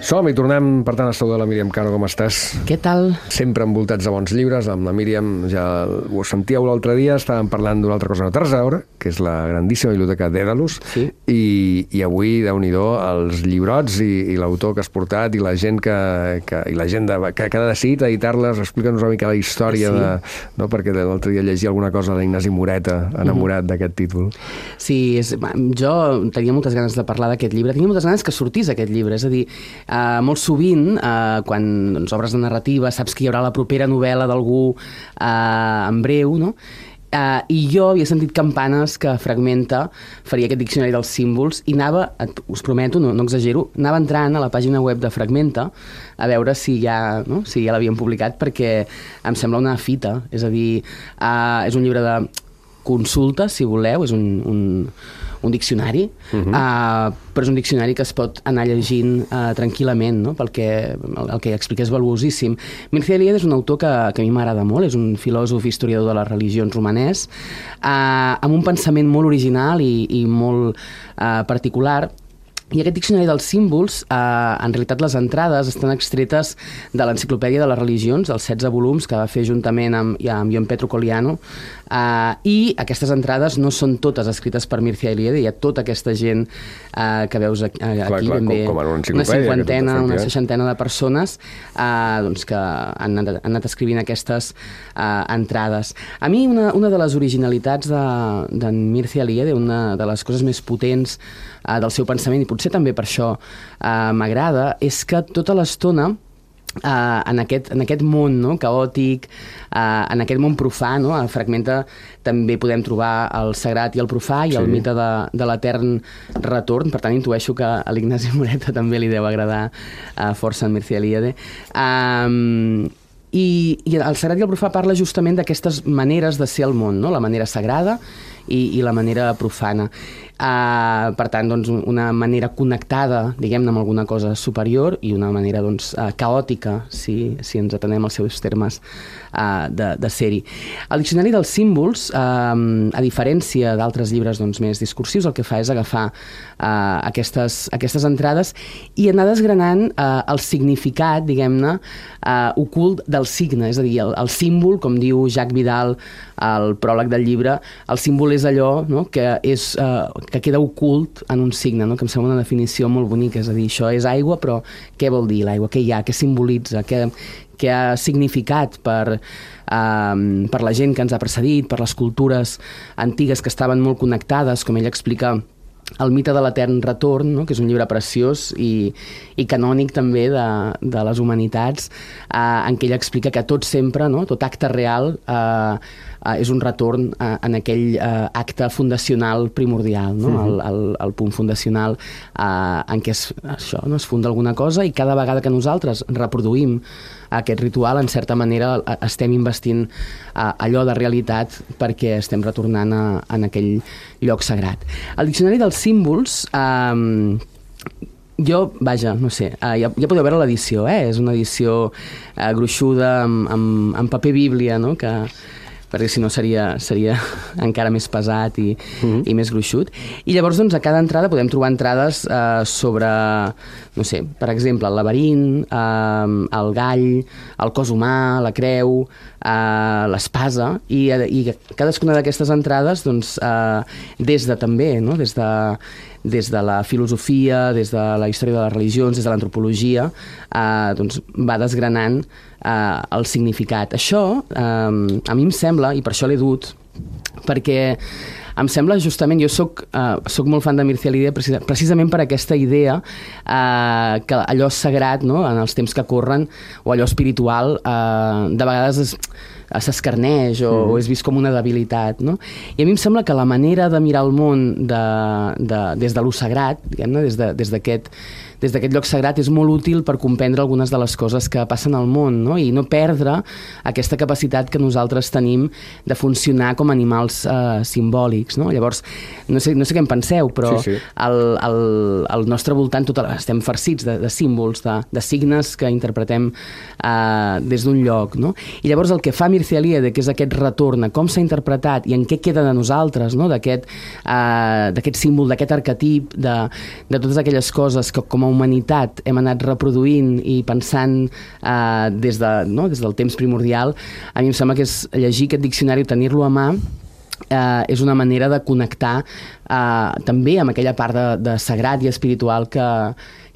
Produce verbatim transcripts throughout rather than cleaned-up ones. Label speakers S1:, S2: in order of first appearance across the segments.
S1: Som-hi, tornem, per tant, a saludar la Míriam Cano, com estàs?
S2: Què tal?
S1: Sempre envoltats de bons llibres, amb la Míriam, ja ho sentíeu l'altre dia, estàvem parlant d'una altra cosa no té res a veure, que és la grandíssima biblioteca Dèdalus,
S2: sí.
S1: i, i avui, Déu-n'hi-do, els llibrots i, i l'autor que has portat i la gent que, que, i la gent de, que, que ha decidit editar-les, explica'ns una mica la història, sí. de, no? Perquè l'altre dia llegia alguna cosa d'Ignasi Moreta, enamorat mm-hmm. d'aquest títol.
S2: Sí, és, jo tenia moltes ganes de parlar d'aquest llibre, tenia moltes ganes que sortís aquest llibre, és a dir, Uh, molt sovint, uh, quan doncs, obres de narrativa, saps que hi haurà la propera novel·la d'algú uh, en breu, no? Uh, I jo havia sentit campanes que Fragmenta faria aquest diccionari dels símbols i anava, us prometo, no, no exagero, anava entrant a la pàgina web de Fragmenta a veure si ja, no? si ja l'havien publicat, perquè em sembla una fita, és a dir, uh, és un llibre de consulta, si voleu, és un... un un diccionari, uh-huh. uh, però és un diccionari que es pot anar llegint uh, tranquil·lament, no? Pel que, el, el que explica és valuosíssim. Mircea Eliade és un autor que, que a mi m'agrada molt, és un filòsof i historiador de les religions romanès, uh, amb un pensament molt original i, i molt uh, particular. I aquest diccionari dels símbols, eh, en realitat les entrades estan extretes de l'Enciclopèdia de les Religions, els setze volums que va fer juntament amb, amb Ion Petro Colliano, eh, i aquestes entrades no són totes escrites per Mircea Eliade, hi ha tota aquesta gent eh, que veus aquí, clar, aquí
S1: clar,
S2: ben bé,
S1: com, com una,
S2: una cinquantena, una seixantena de persones eh, doncs que han anat, han anat escrivint aquestes eh, entrades. A mi una, una de les originalitats d'en de Mircea Eliade, una de les coses més potents eh, del seu pensament, i potser també per això eh, m'agrada, és que tota l'estona Uh, en, aquest, en aquest món, no? Caòtic, uh, en aquest món profà, no? A Fragmenta també podem trobar el sagrat i el profà i sí. el mite de, de l'etern retorn, per tant intueixo que a l'Ignasi Moreta també li deu agradar uh, força en Mircea Eliade. Um, i, i el sagrat i el profà parla justament d'aquestes maneres de ser al món, no? La manera sagrada i, i la manera profana. Uh, per tant, doncs, una manera connectada, diguem-ne, amb alguna cosa superior i una manera doncs, uh, caòtica, si, si ens atenem als seus termes uh, de, de ser-hi. El diccionari dels símbols, uh, a diferència d'altres llibres doncs, més discursius, el que fa és agafar uh, aquestes, aquestes entrades i anar desgranant uh, el significat, diguem-ne, uh, ocult del signe, és a dir, el, el símbol, com diu Jacques Vidal al pròleg del llibre, el símbol és allò, no?, que és... Uh, que queda ocult en un signe, no? Que em sembla una definició molt bonica, és a dir, això és aigua, però què vol dir l'aigua? Què hi ha? Què simbolitza? Què, què ha significat per, um, per la gent que ens ha precedit, per les cultures antigues que estaven molt connectades, com ell explica el mite de l'etern retorn, no? Que és un llibre preciós i, i canònic també de, de les humanitats, eh, en què ell explica que tot sempre, no? Tot acte real eh, eh, és un retorn eh, en aquell eh, acte fundacional primordial, no? Mm-hmm. el, el, el punt fundacional eh, en què es, això, no? Es funda alguna cosa i cada vegada que nosaltres reproduïm aquest ritual, en certa manera estem investint uh, allò de realitat perquè estem retornant a, a aquell lloc sagrat. El diccionari dels símbols, um, jo, vaja, no sé, uh, ja, ja podeu veure l'edició, eh? És una edició uh, gruixuda amb, amb, amb paper bíblia, no?, que perquè si no seria, seria encara més pesat i, mm-hmm. i més gruixut. I llavors, doncs, a cada entrada podem trobar entrades eh, sobre, no sé, per exemple, el laberint, eh, el gall, el cos humà, la creu, eh, l'espasa, i, i cadascuna d'aquestes entrades, doncs, eh, des de també, no?, des de des de la filosofia, des de la història de les religions, des de l'antropologia, eh, doncs va desgranant eh, el significat. Això, eh, a mi em sembla, i per això l'he dut, perquè em sembla justament, jo soc, eh, soc molt fan de Mircea Eliade precis, precisament per aquesta idea eh, que allò sagrat, no?, en els temps que corren, o allò espiritual, eh, de vegades és s'escarneix o, mm. o és vist com una debilitat, no? I a mi em sembla que la manera de mirar el món de, de, des de lo sagrat, diguem-ne, des de, des d'aquest des d'aquest lloc sagrat és molt útil per comprendre algunes de les coses que passen al món, no? I no perdre aquesta capacitat que nosaltres tenim de funcionar com animals eh, simbòlics, no? Llavors, no sé, no sé què en penseu, però sí, sí. Al, al, al nostre voltant tot, estem farcits de, de símbols, de, de signes que interpretem eh, des d'un lloc, no? I llavors el que fa Mircea Eliade, que és aquest retorn a com s'ha interpretat i en què queda de nosaltres, no?, d'aquest eh, d'aquest símbol, d'aquest arquetip, de, de totes aquelles coses que com a humanitat hem anat reproduint i pensant eh, des, de, no? des del temps primordial, a mi em sembla que és llegir aquest diccionari, tenir-lo a mà, eh, és una manera de connectar eh, també amb aquella part de, de sagrat i espiritual que,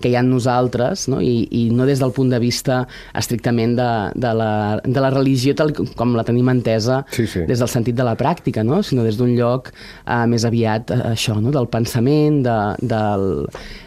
S2: que hi ha en nosaltres, no? I, i no des del punt de vista estrictament de, de, la, de la religió tal com la tenim entesa
S1: sí, sí.
S2: des del sentit de la pràctica, no? Sinó des d'un lloc eh, més aviat eh, això, no? Del pensament, de, del,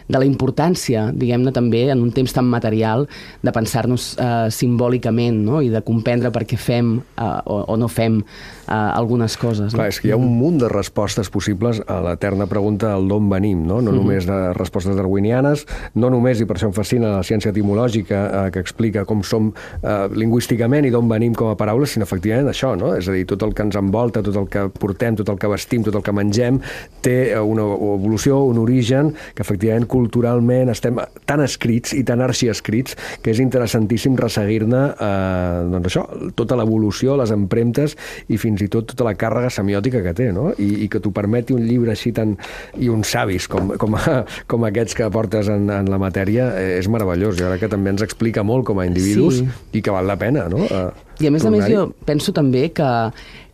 S2: de la importància, diguem-ne també, en un temps tan material, de pensar-nos eh, simbòlicament, no? I de comprendre per què fem eh, o, o no fem eh, algunes coses.
S1: Clar,
S2: no?
S1: és que hi ha un munt de respostes possibles a l'eterna pregunta del d'on venim, no? No mm-hmm. només de respostes darwinianes, no només, i per això em fascina la ciència etimològica eh, que explica com som eh, lingüísticament i d'on venim com a paraules, sinó efectivament això, no? És a dir, tot el que ens envolta, tot el que portem, tot el que vestim, tot el que mengem, té una evolució, un origen, que efectivament culturalment estem tan escrits i tan arxiescrits que és interessantíssim resseguir-ne eh, doncs això, tota l'evolució, les empremtes i fins i tot tota la càrrega semiòtica que té, no? I, i que t'ho permeti un llibre així tan... i uns savis com, com, com aquests que portes en, en la matèria, eh, és meravellós. I ara que també ens explica molt com a individus sí. i que val la pena, no? Eh,
S2: I a més a més jo penso també que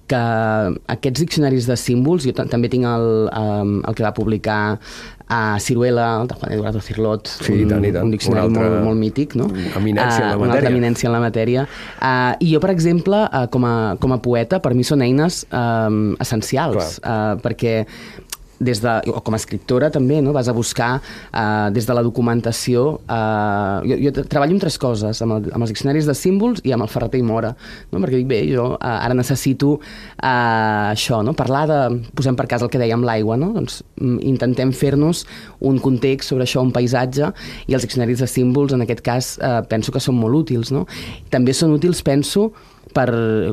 S2: que aquests diccionaris de símbols, jo també tinc el, el que va publicar a Ciruela, el de Juan Eduardo Cirlot,
S1: sí,
S2: un,
S1: tant, tant.
S2: un diccionari
S1: un altre,
S2: molt, molt mític, no?
S1: Eminència en la matèria.
S2: Una altra eminència en la matèria. Uh, I jo, per exemple, uh, com, a, com a poeta, per mi són eines um, essencials, uh, perquè des de, o com a escriptora també, no? Vas a buscar eh, des de la documentació. Eh, jo, jo treballo amb tres coses, amb, el, amb els diccionaris de símbols i amb el Ferrater i Mora, no? Perquè dic, bé, jo eh, ara necessito eh, això, no? Parlar de, posem per cas el que dèiem, l'aigua, no? Doncs intentem fer-nos un context sobre això, un paisatge, i els diccionaris de símbols, en aquest cas, eh, penso que són molt útils, no? També són útils, penso, per,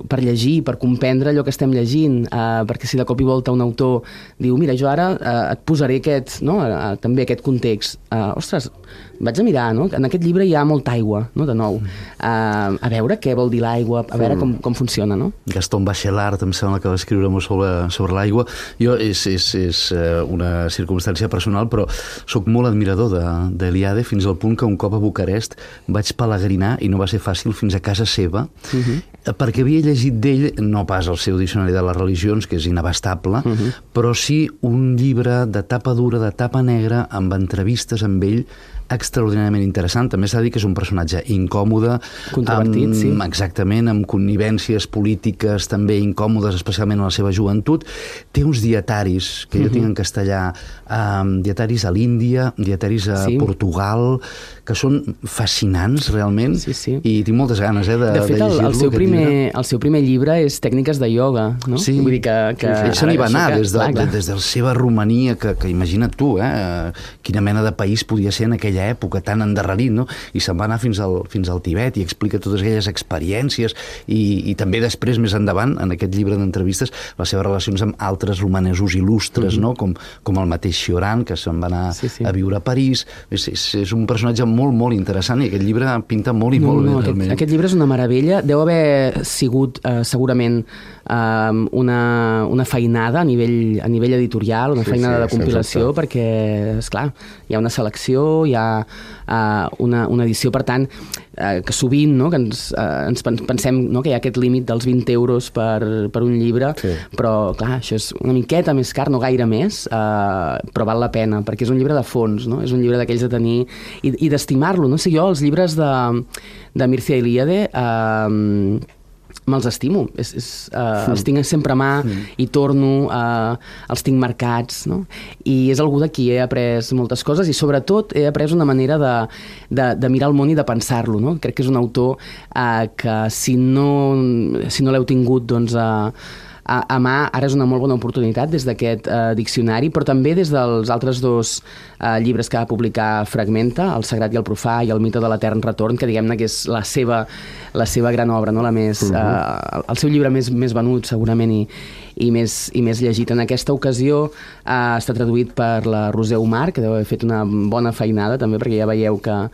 S2: per llegir, per comprendre allò que estem llegint, eh, perquè si de cop i volta un autor diu, mira, jo ara eh, et posaré aquest, no? eh, també aquest context. Eh, ostres, vaig a mirar, no? En aquest llibre hi ha molta aigua, no? De nou. Eh, a veure què vol dir l'aigua, a veure com, com funciona, no?
S3: Gaston Bachelard, em sembla que va escriure molt sobre, sobre l'aigua. Jo, és, és, és una circumstància personal, però sóc molt admirador d'Eliade, fins al punt que un cop a Bucarest vaig pelegrinar, i no va ser fàcil, fins a casa seva, uh-huh. perquè havia llegit d'ell, no pas el seu diccionari de les religions, que és inabastable, uh-huh. però sí un llibre de tapa dura, de tapa negra, amb entrevistes amb ell, extraordinàriament interessant. També s'ha de dir que és un personatge incòmode,
S2: controvertit,
S3: amb,
S2: sí.
S3: Exactament, amb connivències polítiques també incòmodes, especialment en la seva joventut. Té uns dietaris, que jo uh-huh. tinc en castellà, um, dietaris a l'Índia, dietaris a sí. Portugal, que són fascinants, realment,
S2: sí, sí.
S3: i tinc moltes ganes eh, de,
S2: de fet,
S3: de llegir-lo.
S2: El, el, seu primer, el seu primer llibre és Tècniques de ioga, no?
S3: Sí,
S2: vull dir que, que
S3: ell se n'hi va anar
S2: que,
S3: des de,
S2: clar, clar.
S3: des de la seva Romania, que, que imagina't tu, eh, quina mena de país podia ser en aquella època tan endarrerit, no? I se'n va anar fins al, fins al Tibet i explica totes aquelles experiències i, i també després, més endavant, en aquest llibre d'entrevistes, les seves relacions amb altres romanesos il·lustres, mm-hmm. no? Com, com el mateix Cioran, que se'n va anar sí, sí. a viure a París. És, és, és un personatge molt, molt interessant i aquest llibre pinta molt i
S2: no,
S3: molt
S2: no,
S3: bé.
S2: Aquest, aquest llibre és una meravella. Deu haver sigut eh, segurament eh, una, una feinada a nivell, a nivell editorial, una sí, feinada sí, de compilació, perquè, esclar, hi ha una selecció, hi ha uh, una, una edició, per tant, uh, que sovint no, que ens, uh, ens pensem no, que hi ha aquest límit dels vint euros per, per un llibre, sí. però clar, això és una miqueta més car, no gaire més, uh, però val la pena, perquè és un llibre de fons, no? És un llibre d'aquells de tenir i, i d'estimar-lo. No sé, jo els llibres de, de Mircea Eliade uh, me'ls estimo, és, és, uh, els tinc sempre a mà mm. i torno, uh, els tinc marcats, no? I és algú de qui he après moltes coses i sobretot he après una manera de, de, de mirar el món i de pensar-lo, no? Crec que és un autor uh, que si no, si no l'heu tingut doncs, uh, a, a mà, ara és una molt bona oportunitat des d'aquest uh, diccionari, però també des dels altres dos uh, llibres que va publicar Fragmenta, El sagrat i el profà i El mite de l'etern retorn, que diguem-ne que és la seva, la seva gran obra, no? La més, uh-huh. uh, el seu llibre més, més venut segurament i, i, més, i més llegit. En aquesta ocasió uh, està traduït per la Roser Omar, que deu haver fet una bona feinada també, perquè ja veieu que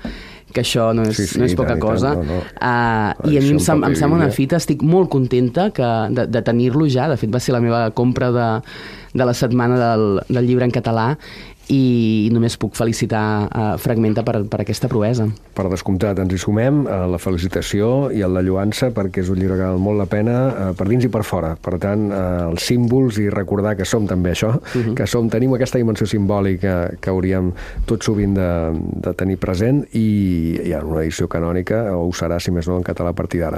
S2: que això no és, sí, sí, no és poca tant, cosa. Tant, no, no. Uh, I a mi em, sem em sembla una fita, estic molt contenta que, de, de tenir-lo ja, de fet va ser la meva compra de, de la setmana del, del llibre en català, i només puc felicitar a Fragmenta per, per aquesta proesa.
S1: Per descomptat, ens hi sumem a la felicitació i a la lloança, perquè és un llibre que val molt la pena eh, per dins i per fora. Per tant, eh, els símbols i recordar que som també això, uh-huh. que som, tenim aquesta dimensió simbòlica que hauríem tot sovint de, de tenir present, i hi ha una edició canònica, o ho serà, si més no, en català a partir d'ara.